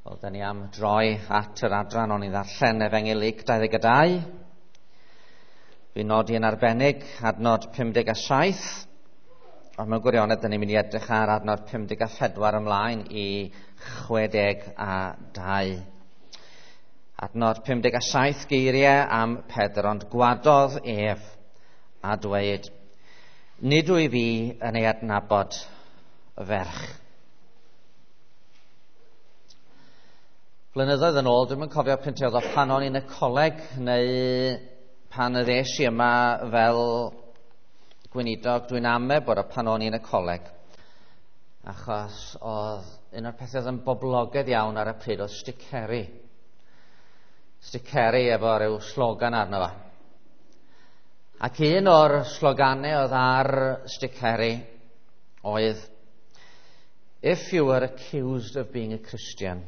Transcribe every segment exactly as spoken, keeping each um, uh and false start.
Wel, da ni am droi at yr adran o'n i ddarllen Efengyl Luc dau ddeg dau. Fi'n nodi yn arbennig adnod pum deg a saith, ond mewn gwirionedd da ni'n mynd i edrych ar adnod pum deg a phedwar ymlaen i chwe deg a dau. Adnod pum deg a saith, geiriau am Pedr, ond gwadodd ef a dweud, nid wyf fi yn ei adnabod y ferch. Blynyddoedd yn ôl, dwi'm yn cofio pryd oedd o, pan o'n i'n y coleg neu pan ddes i yma fel gweinidog, dwi'n ame bod o pan o'n i'n y coleg, achos oedd un o'r pethau oedd yn boblogaidd iawn ar y pryd oedd sticeri. Sticeri efo ryw slogan arno fo. Ac un o'r sloganau oedd ar sticeri oedd, if you were accused of being a Christian,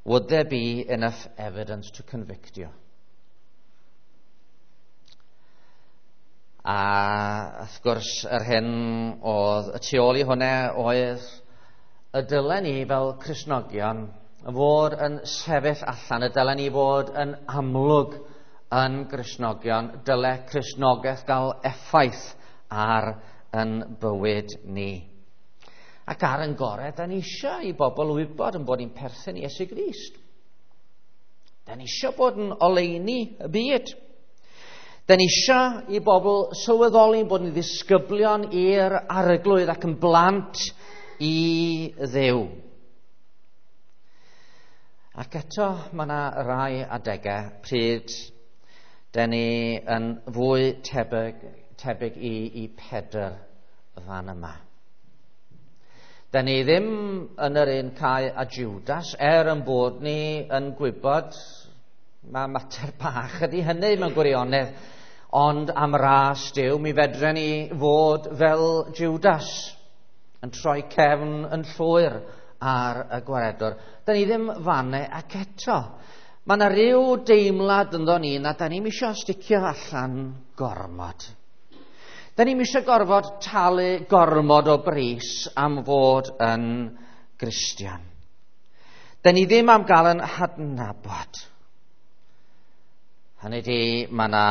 would there be enough evidence to convict you? A wrth gwrs, yr hyn oedd y tu ôl i hwnna oedd y dylen ni fel Cristnogion fod yn sefyll allan, y dylen ni fod yn amlwg yn Gristnogion, dyle Cristnogaeth gael effaith ar yn bywyd ni. Ac ar yn gorau, da ni eisiau i bobl wybod yn bod ni'n perthyn i Iesu Grist. Da ni eisiau bod yn oleuni y byd. Da ni eisiau i bobl sylweddoli bod ni'n ddisgyblion i'r Arglwydd ac yn blant i Dduw. Ac eto, mae yna rai adegau pryd da ni yn fwy tebyg, tebyg i, i Pedr fan yma. Da ni ddim yn yr un cae a Judas, er yn bod ni yn gwybod, mae mater bach ydy hynny mewn gwirionedd, ond am ras Duw, mi fedren ni fod fel Judas, yn troi cefn yn llwyr ar y gwaredwr. Da ni ddim fanne ac eto. Mae yna ryw deimlad ynddo ni na da ni'm isio sticio allan gormod. Da ni'm eisiau gorfod talu gormod o bris am fod yn Gristion. Da ni ddim am gael yn hadnabod. Hynny ydi, mae yna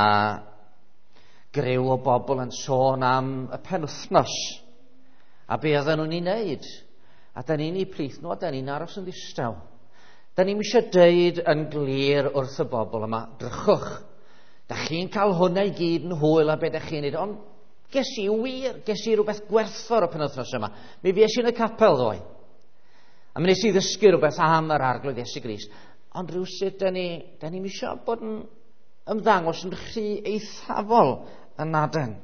griw o bobl yn sôn am y penwythnos a be oedden nhw'n ei wneud. A da ni'n ei plith nhw a da ni'n aros yn ddistaw. Da ni'm eisiau deud yn glir wrth y bobl yma, drychwch, da chi'n cael hwnna i gyd yn hwyl a be da chi'n neud, ond ges i wir, ges i rhywbeth gwerthfawr o penwythnos yma. Mi fues i yn y capel ddoe. A mi nes i ddysgu rhywbeth am yr Arglwydd Iesu Grist. Ond rhywsut, da ni, da ni'm eisiau bod yn ymddangos yn rhy eithafol yn aden.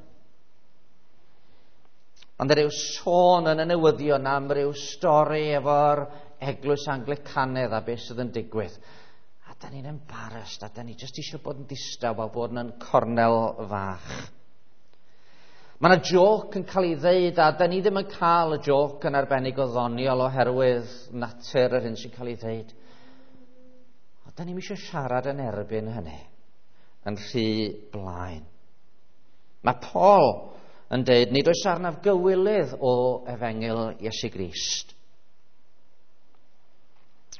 Ond rhyw sôn yn y newyddion am ryw stori efo'r eglwys Anglicanaidd a beth sydd yn digwydd. A da ni'n embarrassed, a da ni jyst eisiau bod yn distaw a bod yn cornel fach. Mae yna joc yn cael ei ddeud, a da ni ddim yn cael y joc yn arbennig o ddoniol oherwydd natur yr hyn sy'n cael ei ddeud. Ond da ni'm eisiau siarad yn erbyn hynny, yn rhy blaen. Mae Paul yn deud, nid oes arnaf gywilydd o Efengyl Iesu Grist.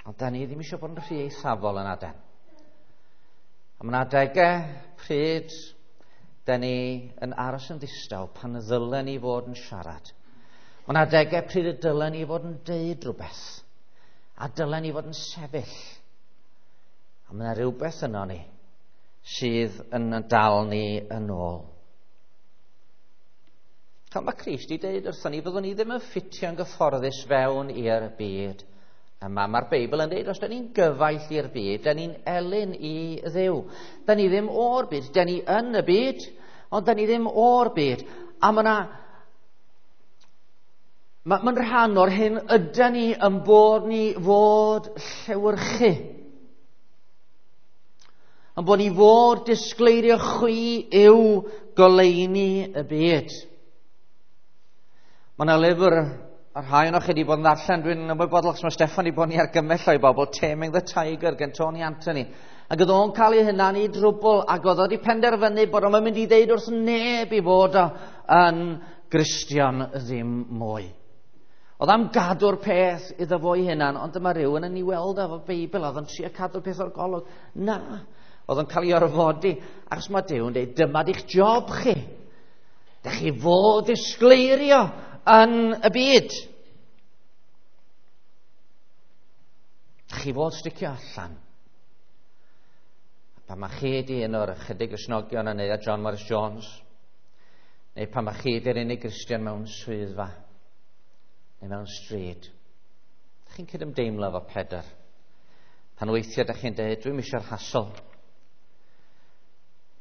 Ond da ni ddim eisiau bod yn rhy eithafol yn aden. A mae yna adegau pryd da ni yn aros yn ddistaw pan ddylen ni fod yn siarad. Mae yna adegau pryd y dylen ni fod yn deud rhywbeth. A dylen ni fod yn sefyll. A mae yna rhywbeth yno ni sydd yn dal ni yn ôl. Fel mae Crist i deud wrthon ni, fyddwn ni ddim yn ffitio'n gyfforddus fewn i'r byd yma. Mae'r Beibl yn deud, os da ni'n gyfaill i'r byd, da ni'n elyn i Dduw. Da ni ddim o'r byd, da ni yn y byd, ond da ni ddim o'r byd. A mae yna, mae'n rhan o'r hyn yda ni yn bod ni fod llewyrchu. Yn bod ni fod disgleirio chwi yw goleuni y byd. Mae yna lyfr, a rhai o'n chi wedi bod yn ddarllen, dwi'n ymwybodol achos mae Steffan wedi bod yn ei argymell o'i bobl, Taming the Tiger gen Tony Anthony. Ac oedd o'n cael ei hunan i drwbl, ac oedd o wedi penderfynu bod o'n mynd i ddeud wrth neb i fod o yn Gristion ddim mwy. Oedd am gadw'r peth iddo fo'i hunan, ond dyma rhywun yn ei weld efo Beibl, oedd o'n trio cadw'r peth o'r golwg. Na, oedd o'n cael ei orfodi, achos mae Duw yn dweud, dyma di'ch job chi. Dych chi fod disgleirio yn y byd. Dych chi fod sticio allan. Pan mae chi di un o'r ychydig Gristnogion yn neuadd John Morris Jones, neu pan mae chi di'r unig Gristion mewn swyddfa, neu mewn stryd, dych chi'n cydymdeimlo efo Pedr. Pan weithiau dych chi'n dweud, dwi'm eisiau'r hasl.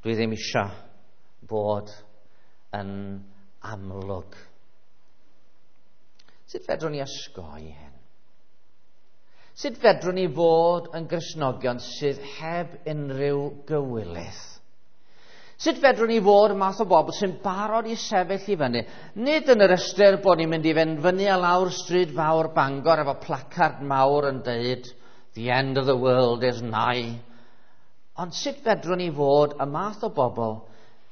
Dwi ddim eisiau bod yn amlwg. Sut fedrwn ni osgoi hyn? Sut fedrwn ni fod yn Gristnogion sydd heb unrhyw gywilydd? Sut fedrwn ni fod y math o bobl sy'n barod i sefyll i fyny? Nid yn yr ystyr bod ni'n mynd i fynd fyny a lawr stryd fawr Bangor efo placard mawr yn deud "The end of the world is nigh." Ond sut fedrwn ni fod y math o bobl,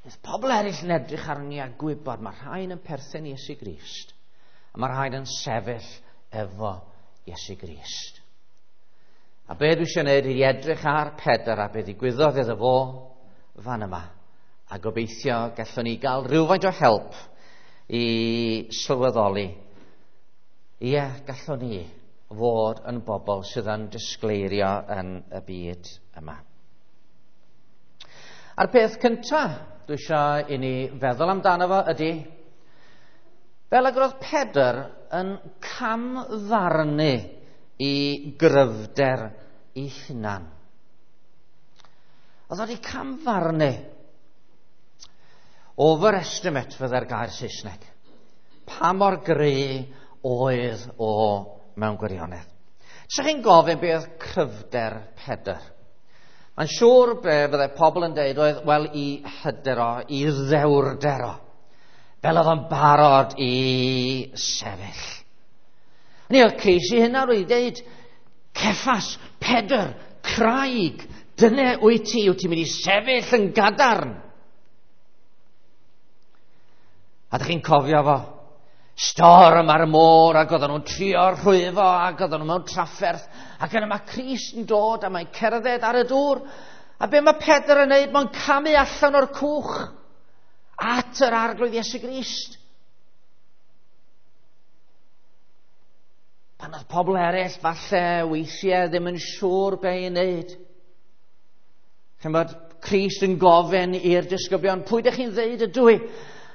bydd pobl eraill yn edrych arni a gwybod mae rhain yn perthyn i Iesu Grist, a mae rhain yn sefyll efo Iesu Grist. A be dwi eisiau gwneud ydy edrych ar Pedr a be ddigwyddodd iddo fo fan yma. A gobeithio gallwn ni gael rhywfaint o help i sylweddoli. Ie, gallwn ni fod yn bobl sydd yn disgleirio yn y byd yma. A'r peth cyntaf dwi eisiau i ni feddwl amdano fo ydy, fel ag roedd Pedr yn camfarnu i gryfder ei hunan. Oedd wedi camfarnu. Overestimate fydde'r gair Saesneg. Pa mor gry oedd o mewn gwirionedd. Sa chi'n gofyn beth oedd cryfder Pedr? Mae'n siŵr be fydde pobl yn deud oedd, wel, i hyder o, i ddewrder o. Fel oedd o'n barod i sefyll. Ni oedd Crist ei hunan wedi deud, Ceffas, Pedr, craig, dyna wyt ti, wyt ti'n mynd i sefyll yn gadarn. A ydych chi'n cofio fo? Storm ar y môr, ac oedden nhw'n trio rhwyfo, ac oedden nhw mewn trafferth, ac yna mae Crist yn dod, a mae'n cerdded ar y dŵr. A be mae Pedr yn neud? Mae'n camu allan o'r cwch at yr Arglwydd Iesu Grist. Pan oedd pobl eraill falle weithiau ddim yn siŵr be i wneud. Chi'n bod Crist yn gofyn i'r disgyblion, pwy ydych chi'n ddeud ydw i?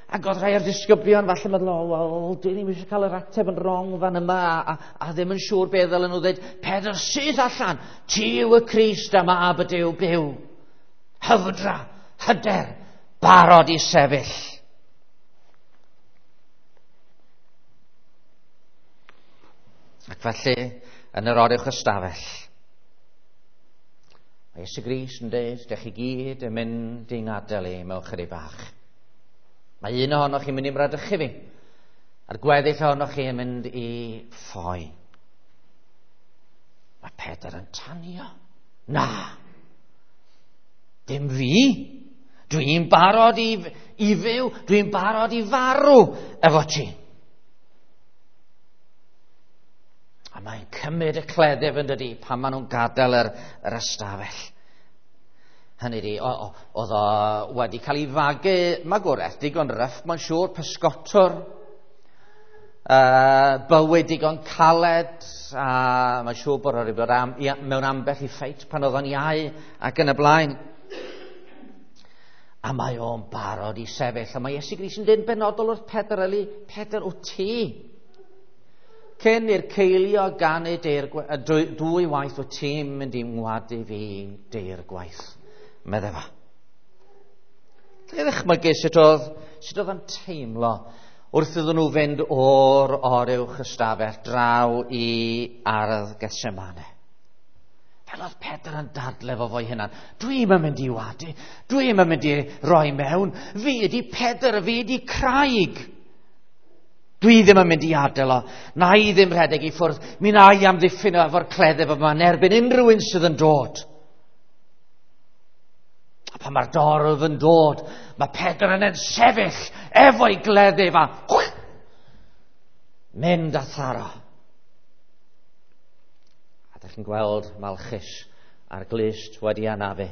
Ac oedd rhai o'r disgyblion falle meddwl, o, wel, dwi ddim eisiau cael yr ateb yn wrong fan yma, a, a, a ddim yn siŵr be ddylen nhw ddeud. Pedr syth allan, ti yw y Crist a mab y Duw byw. Hyfdra, hyder, barod i sefyll. Ac felly, yn yr oruwch ystafell, mae Iesu Grist yn dweud, dych chi gyd yn mynd i'n ngadael i mewn chydig bach. Mae un ohonoch chi'n mynd i mradychu fi, a'r gweddill ohonoch chi yn mynd i ffoi. Mae Pedr yn tanio. Na, dim fi. Dwi'n barod i, i fyw, dwi'n barod i farw efo ti. A mae'n cymryd y cleddyf yn dydi pan maen nhw'n gadael yr, yr ystafell. Hynny ydi, oedd o wedi cael ei fagu magwraeth digon ryff, mae'n siŵr, pysgotwr, uh, bywyd digon caled, a mae'n siŵr bod o wedi bod am, ia, mewn ambell i ffeit pan oedd o'n iau ac yn y blaen. A mae o'n barod i sefyll, a mae Iesu Grist yn dweud benodol wrth Pedr, Eli, Pedr, wyt ti? Cyn i'r ceilio ganu deir, dwy, dwy waith, wyt ti'n mynd i ngwadu fi deir gwaith, medde fo. Dwi'n ddychmygu sut oedd, sut oedd yn teimlo wrth iddyn nhw fynd o'r oruwch ystafell draw i ardd Gethsemane. Fel oedd Pedr yn dadle fo fo'i hunan. Dwi'm yn mynd i wadu, dwi'm yn mynd i roi mewn. Fi ydi Pedr, fi ydi craig. Dwi ddim yn mynd i adael o. Na i ddim rhedeg i ffwrdd. Mi na i amddiffyn o efo'r cleddyf yma yn erbyn unrhyw un sydd yn dod. A pan mae'r dorf yn dod, mae Pedr yn sefyll efo'i gleddyf a Mynd a tharo. A dych chi'n gweld Malchus a'r glust wedi anafu.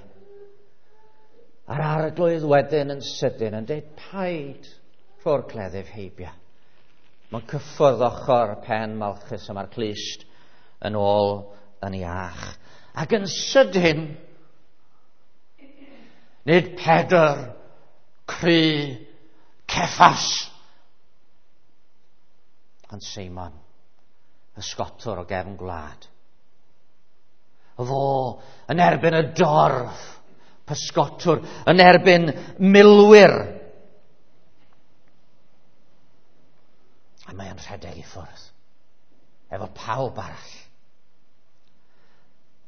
A'r arglwydd wedyn yn sydyn yn dweud, paid rho'r cleddyf heibio. Mae'n cyffwrdd ochr pen Malchus a mae'r clust yn ôl yn iach. Ac yn sydyn, nid Pedr, Cry, Ceffas, ond Seimon, y sgotwr o gefn gwlad. Fo yn erbyn y dorf, pysgotwr, yn erbyn milwyr. A mae'n rhedeg i ffwrdd, efo pawb arall.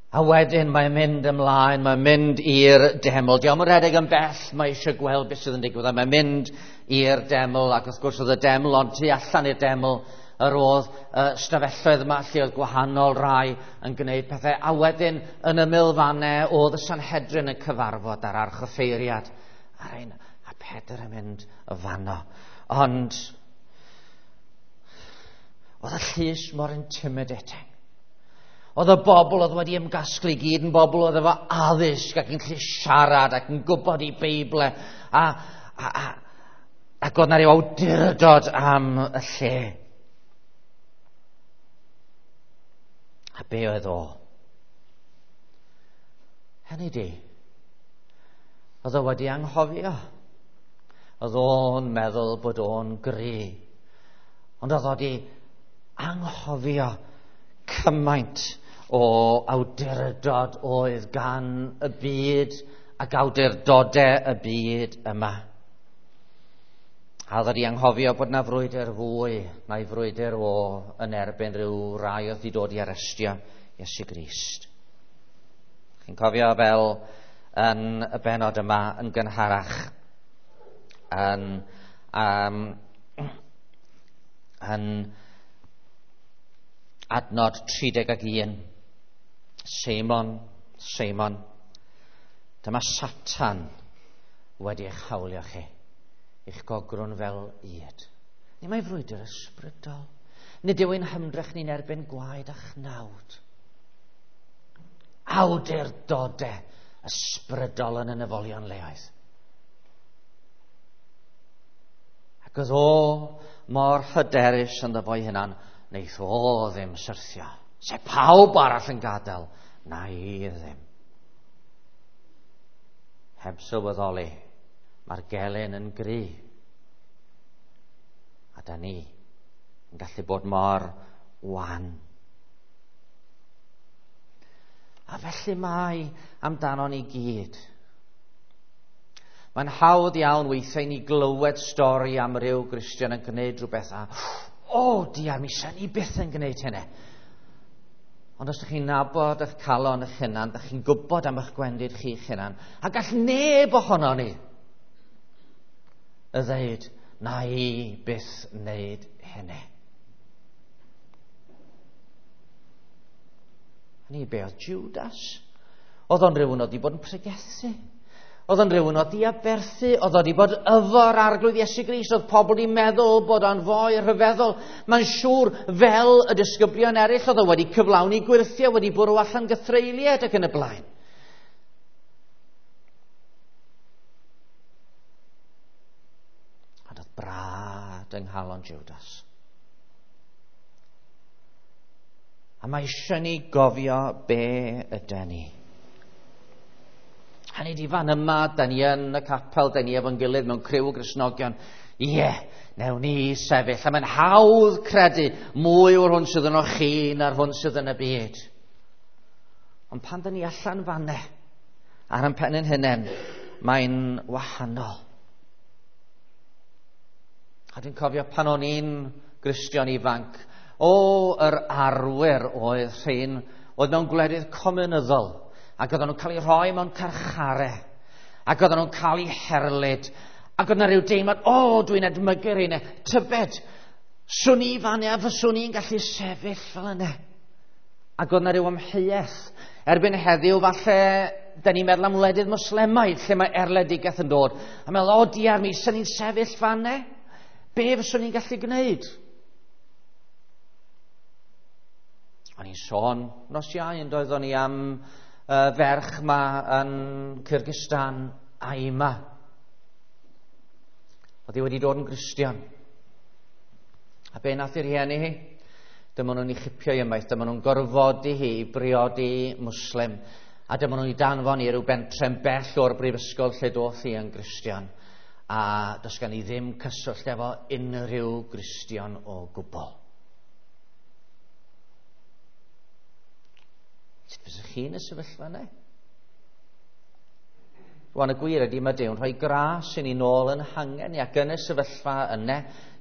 A wedyn mae'n mynd ymlaen, mae'n mynd i'r deml. Dio'm yn rhedeg yn bell, mae eisiau gweld beth sydd yn digwydd. A mae'n mynd i'r deml, ac wrth gwrs oedd y deml, ond tu allan i'r deml, yr oedd uh, stafelloedd yma lle oedd gwahanol rai yn gwneud pethau. A wedyn yn ymyl fannau oedd y Sanhedrin yn cyfarfod ar archoffeiriad. A, ein, a Pedr yn mynd y fanno. Ond oedd y llys mor intimidating. Oedd y bobl oedd wedi ymgasglu gyd yn bobl oedd efo addysg ac yn gallu siarad ac yn gwybod i Beible. A, a, a, ac oedd na ryw awdurdod am y lle. A be oedd o? Hynny di, oedd o wedi anghofio. Oedd o'n meddwl bod o'n gry. Ond oedd o wedi anghofio cymaint o awdurdod oedd gan y byd ac awdurdodau y byd yma. A oedd wedi anghofio bod na frwydr fwy na'i frwydr o yn erbyn rhyw rai oedd wedi dod i arestio Iesu Grist. Chi'n cofio fel yn y benod yma yn gynharach yn, um, yn adnod tri deg ac un. Seimon, Seimon, dyma Satan wedi eich hawlio chi, eich gogrwn fel ŷd. Nid mae frwydr ysbrydol. Nid yw ein hymdrech ni'n erbyn gwaed a chnawd. Awdurdodau ysbrydol yn y nefolion leoedd. Ac oedd o mor hyderus ynddo fo'i hunan, wneith o ddim syrthio. Se pawb arall yn gadael, na i ddim. Heb sylweddoli, mae'r gelyn yn gry. A da ni yn gallu bod mor wan. A felly mae amdano ni gyd. Mae'n hawdd iawn weithiau ni glywed stori am ryw Gristion yn gwneud rhywbeth a, o, diar, mi sy'n ni byth yn gwneud hynny. Ond os ydych chi'n nabod eich calon eich hunan, ydych chi'n gwybod am eich gwendid chi'ch hunan, a gall neb ohono ni y ddeud, na i byth wneud hynny. Ni be oedd Judas? Oedd o'n rhywun oedd wedi bod yn pregethu. Oedd o'n rhywun oedd wedi aberthu. Oedd o'n wedi bod efo'r arglwydd Iesu Grist. Oedd pobl wedi meddwl bod o'n foi rhyfeddol. Mae'n siŵr fel y disgyblion eraill oedd o wedi cyflawni gwyrthiau, wedi bwrw allan gythreuliad ac yn y blaen. Ond oedd brad yng nghalon Judas. A mae eisiau ni gofio be ydy ni. Hynny di fan yma, da ni yn y capel, da ni efo'n gilydd mewn criw o Gristnogion. Ie, yeah, newn ni sefyll. A mae'n hawdd credu mwy o'r hwn sydd yno chi na'r hwn sydd yn y byd. Ond pan da ni allan fanne, ar ein pen ein hunain, mae'n wahanol. A dwi'n cofio pan o'n i'n Gristion ifanc, o, yr arwyr oedd rhain, oedd mewn gwledydd cominyddol, ac oedden nhw'n cael eu rhoi mewn carchare, ac oedden nhw'n cael eu herlid, ac oedd yna rhyw deimlad, o, dwi'n edmygu'r un, tybed, swn i fan a fyswn i'n gallu sefyll fel yna. Ac oedd yna rhyw amheuaeth. Erbyn heddiw, falle, da ni'n meddwl am wledydd Moslemaidd, lle mae erledigaeth yn dod. A meddwl, o, diar mi, swn i'n sefyll fan e? Be fyswn i'n gallu gwneud? O'n i'n sôn nos Iau yn doeddwn i am uh, ferch ma yn Kyrgyzstan, Aima. Oedd hi wedi dod yn Gristion. A be nath i rhieni hi? Dyma nhw'n ei chipio i ymaith, dyma nhw'n gorfodi hi i briodi Muslim. A dyma nhw'n ei danfon i ryw bentre'n bell o'r brifysgol lle doth hi yn Gristion. A does gen i ddim cyswllt efo unrhyw Gristion o gwbl. Sut fysych chi yn y sefyllfa yna? Rwan y gwir ydy mae Duw'n rhoi gras i ni nôl yn hangen ni, ac yn y sefyllfa yna,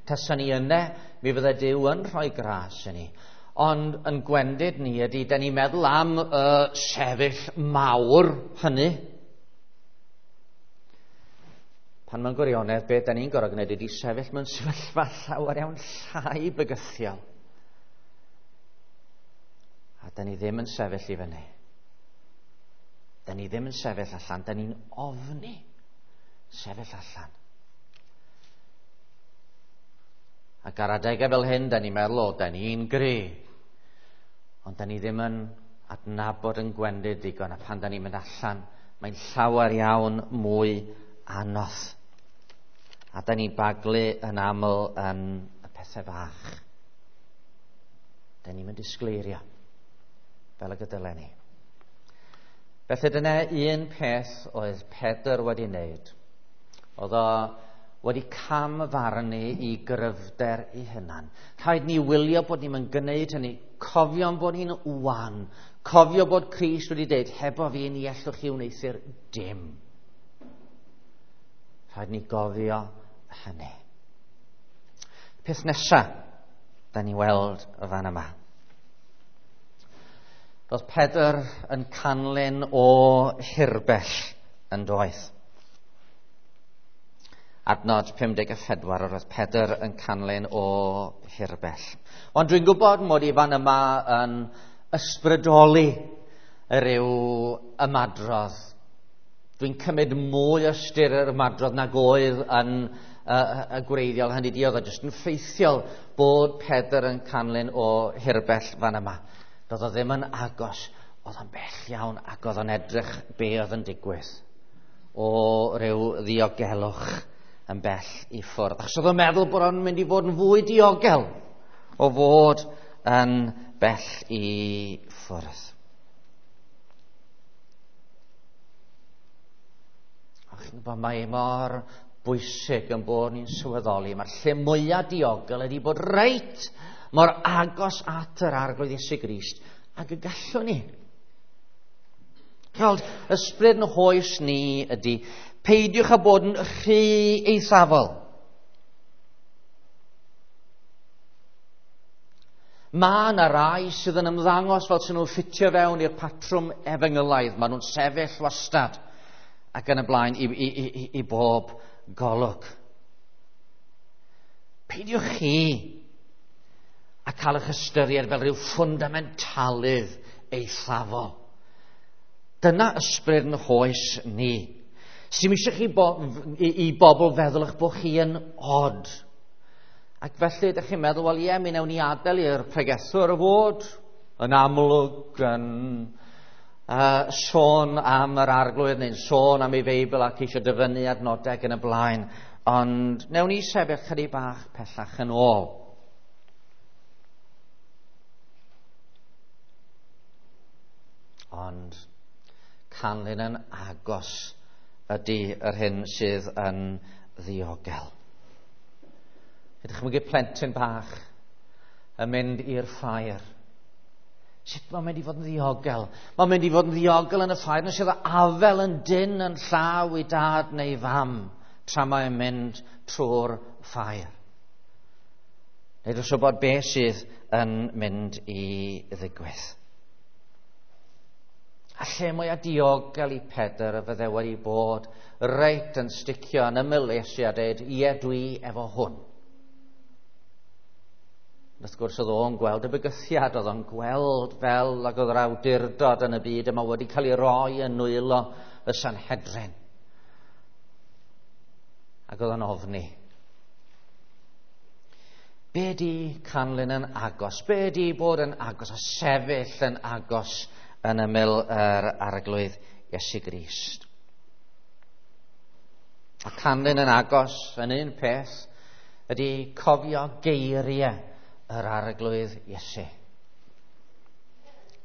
tasa ni yna, mi fydde Duw yn rhoi gras i ni. Ond yn gwendid ni ydy, da ni'n meddwl am y uh, sefyll mawr hynny. Pan mewn gwirionedd, beth da ni'n gorfod gwneud ydy sefyll mewn sefyllfa llawer iawn llai bygythiol. A da ni ddim yn sefyll i fyny. Da ni ddim yn sefyll allan, da ni'n ofni sefyll allan. Ac ar adegau fel hyn, da ni'n meddwl, o, da ni'n gry. Ond da ni ddim yn adnabod yn gwendid digon, a pan da ni'n mynd allan, mae'n llawer iawn mwy anodd. A da ni'n baglu yn aml yn y pethau bach. Da ni'n mynd disgleirio fel y gydylen ni. Felly dyna un peth oedd Pedr wedi wneud. Oedd o wedi camfarnu i gryfder ei hunan. Rhaid ni wylio bod ni'n mynd gwneud hynny. Cofio'n bod ni'n wan. Cofio bod Crist wedi dweud, hebo fi ni ellwch chi wneuthur dim. Rhaid ni gofio hynny. Peth nesaf, da ni weld y fan yma. Roedd Pedr yn canlyn o hirbell yn doedd. Adnod pum deg a phedwar, roedd Pedr yn canlyn o hirbell. Ond dwi'n gwybod mod i fan yma yn ysbrydoli ryw ymadrodd. Dwi'n cymryd mwy o ystyr yr ymadrodd nag oedd yn y, y gwreiddiol. Hynny di, oedd o jyst yn ffeithiol bod Pedr yn canlyn o hirbell fan yma. Doedd o ddim yn agos, oedd o'n bell iawn ac oedd o'n edrych be oedd yn digwydd o ryw ddiogelwch yn bell i ffwrdd. Achos oedd o'n meddwl bod o'n mynd i fod yn fwy diogel o fod yn bell i ffwrdd. A chi'n gwybod, mae mor bwysig yn bod ni'n sylweddoli. Mae'r lle mwyaf diogel ydy bod reit mor agos at yr Arglwydd Iesu Grist ag y gallwn ni. Gweld, ysbryd yn hoes ni ydy, peidiwch â bod yn rhy eithafol. Mae yna rai sydd yn ymddangos fel sy'n nhw'n ffitio fewn i'r patrwm efengylaidd. Maen nhw'n sefyll wastad ac yn y blaen i, i, i, i bob golwg. Peidiwch chi a cael eich ystyried fel rhyw ffwndamentalydd eithafol. Dyna ysbryd yn hoes ni. Sy'm eisiau chi bo, i, i bobl feddwl eich bod chi yn od. Ac felly ydych chi'n meddwl, wel ie, mi wnawn ni adael i'r pregethwr fod yn amlwg yn uh, sôn am yr Arglwydd neu'n sôn am ei Feibl ac eisiau dyfynnu adnodau ac yn y blaen. Ond wnawn ni sefyll chydig bach pellach yn ôl. Ond canlyn yn agos ydy yr hyn sydd yn ddiogel. Ydych chi'n mynd plentyn bach yn mynd i'r ffair. Sut mae'n mynd i fod yn ddiogel? Mae'n mynd i fod yn ddiogel yn y ffair nes iddo afel yn dyn yn llaw i dad neu fam tra mae'n mynd trwy'r ffair. Neu dros wybod beth sydd yn mynd i ddigwydd. A lle mwyaf diogel i Pedr y fydde wedi bod reit yn sticio yn ymyl Iesu a dweud, ie, dwi efo hwn. Wrth gwrs oedd o'n gweld y bygythiad, oedd o'n gweld fel ag oedd yr awdurdod yn y byd yma wedi cael ei roi yn nwylo y Sanhedrin. Ac oedd o'n ofni. Be di canlyn yn agos? Be di bod yn agos a sefyll yn agos yn ymyl yr Arglwydd Iesu Grist? A canlyn yn agos yn un peth ydy cofio geiriau yr Arglwydd Iesu.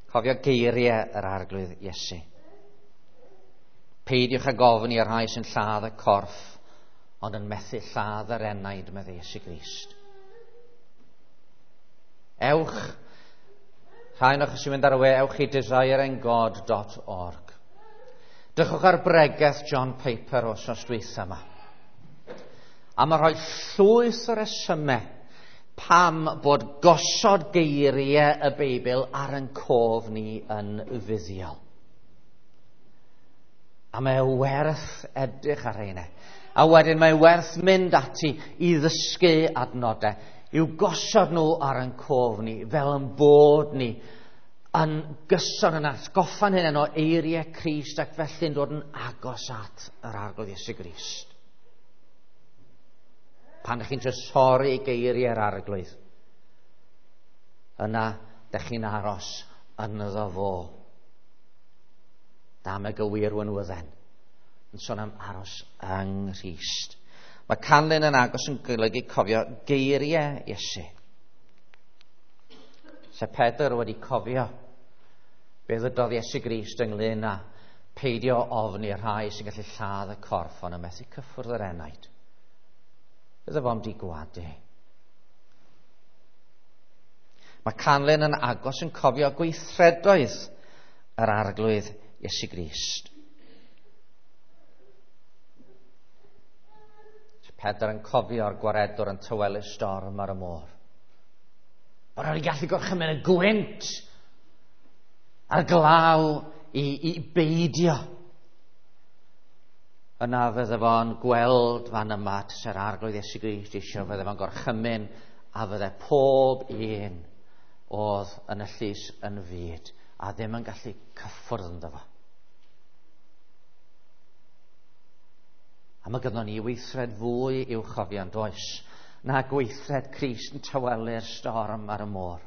Cofio geiriau yr Arglwydd Iesu. Peidiwch ag ofni i'r rhai sy'n lladd y corff, ond yn methu lladd yr enaid, meddai Iesu Grist. Ewch, rhai o'ch sy'n mynd ar y we, ewch i desiring god dot org. Drychwch ar bregeth John Piper wythnos dwytha yma. A mae rhoi llwyth o resymau pam bod gosod geiriau y Beibl ar ein cof ni yn fuddiol. A mae werth edrych ar rheina. A wedyn mae werth mynd ati i ddysgu adnodau, i'w gosod nhw ar ein cof ni, fel yn bod ni yn gyson yn atgoffa'n hunain o eiriau Crist ac felly'n dod yn agos at yr Arglwydd Iesu Grist. Pan ydych chi'n trysori geiriau'r Arglwydd, yna ydych chi'n aros ynddo fo. Dam y gywir wynwydden yn sôn am aros yng Nghrist. Mae canlyn yn agos yn golygu cofio geiriau Iesu. Se Pedr wedi cofio be ddydodd Iesu Grist ynglyn â peidio ofni rhai sy'n gallu lladd y corff ond yn methu cyffwrdd yr enaid. Bydde fo'n di gwadu. Mae canlyn yn agos yn cofio gweithredoedd yr Arglwydd Iesu Grist. Pedr yn cofio'r gwaredwr yn tawelu storm ar y môr. Bod o'n gallu gorchymyn y gwynt a'r glaw i, i beidio. Yna fydde fo'n gweld fan yma tase'r Arglwydd Iesu Grist eisiau, fydde fo'n gorchymyn a fydde pob un oedd yn y llys yn fyd a ddim yn gallu cyffwrdd ynddo fo. A mae gynnon ni weithred fwy i'w chofio yn does na gweithred Crist yn tawelu'r storm ar y môr.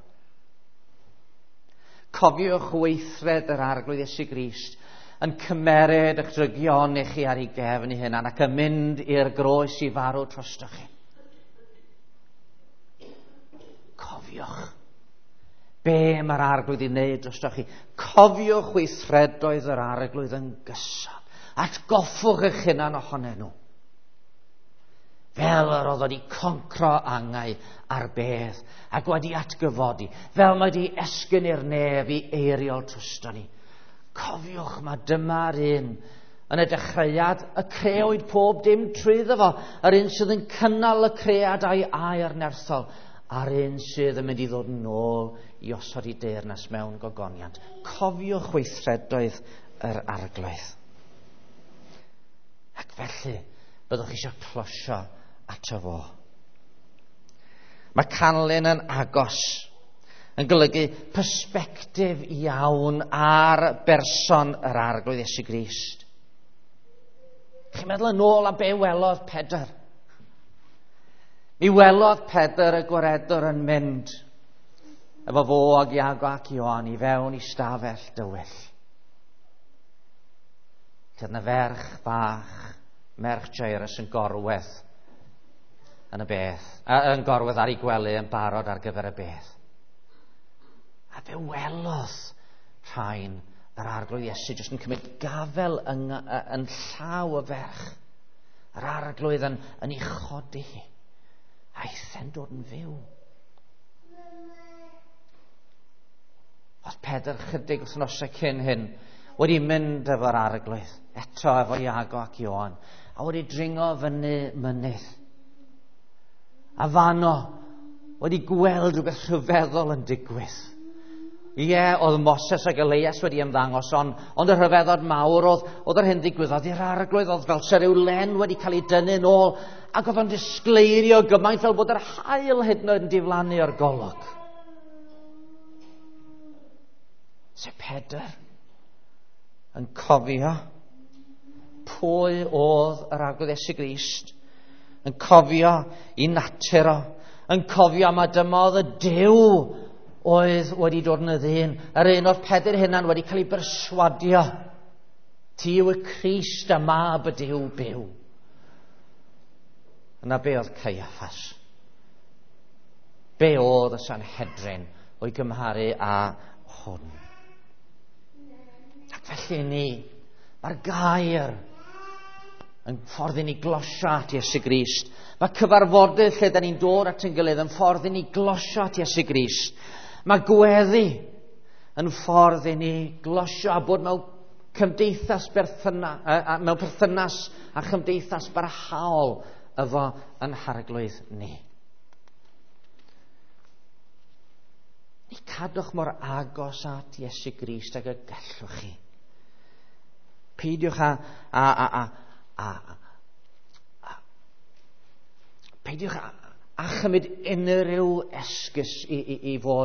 Cofiwch weithred yr Arglwydd Iesu Grist yn cymeryd eich drygion i chi ar ei gefn ei hunan ac yn mynd i'r groes i farw drostoch chi. Cofiwch be mae'r Arglwydd i wneud drostoch chi. Cofiwch weithredoedd yr Arglwydd yn gyson. Atgoffwch eich hunan ohonyn nhw. Fel yr oedd wedi concro angau ar bedd ac wedi atgyfodi, fel mae wedi esgyn i'r nef i eiriol drosto ni. Cofiwch, mae dyma'r un yn y dechreuad y creawyd pob dim trwyddo fo, yr un sydd yn cynnal y cread a'i air nerthol, a'r un sydd yn mynd i ddod yn ôl i osod i deyrnas mewn gogoniant. Cofiwch weithredoedd yr Arglwydd. Ac felly, byddwch eisiau closio ato fo. Mae canlyn yn agos yn golygu persbectif iawn ar berson yr Arglwydd Iesu Grist. Chi'n meddwl yn ôl am be welodd Pedr? Mi welodd Pedr y gwaredwr yn mynd efo fo ag Iago ac Ioan i fewn i stafell dywyll. Lle yna ferch bach, merch Jairus yn gorwedd yn y beth, yn gorwedd ar ei gwely yn barod ar gyfer y beth. A fe welodd rhain yr Arglwydd Iesu jyst yn cymryd gafel yn, yn llaw y ferch. Yr Arglwydd yn, yn ei chodi hi. Aeth e'n dod yn fyw. Oedd Pedr chydig wythnosau cyn hyn wedi mynd efo'r Arglwydd, eto efo Iago ac Ioan, a wedi dringo fyny mynydd. A fano wedi gweld rhywbeth rhyfeddol yn digwydd. Ie, oedd Moses ac Elias wedi ymddangos, ond, ond y rhyfeddod mawr oedd, oedd yr hyn ddigwyddodd i'r Arglwydd, oedd fel se ryw len wedi cael ei dynnu nôl, ac oedd o'n disgleirio gymaint fel bod yr haul hyd yn oed yn diflannu o'r golwg. Se Pedr yn cofio pwy oedd yr Arglwydd Iesu Grist, yn cofio i natur o, Yn cofio ma dyma oedd y Duw oedd wedi dod yn y ddyn. Yr un o'r Pedr hunan wedi cael ei berswadio. Ti yw y Crist a mab y Duw byw. Yna be oedd Caiaffas? Be oedd y Sanhedrin o'i gymharu â hwn? Ac felly ni, mae'r gair yn ffordd i ni glosio at Iesu Grist. Mae cyfarfodydd lle da ni'n dod at ein gilydd yn ffordd i ni glosio at Iesu Grist. Mae gweddi yn ffordd i ni glosio a bod mewn cymdeithas berthyna, mewn perthynas a chymdeithas barhaol efo yn harglwydd ni. Ni cadwch mor agos at Iesu Grist ag y gallwch chi. Peidiwch a, a, a, a, a, a peidiwch a, a chymryd unrhyw esgus i, i, i fod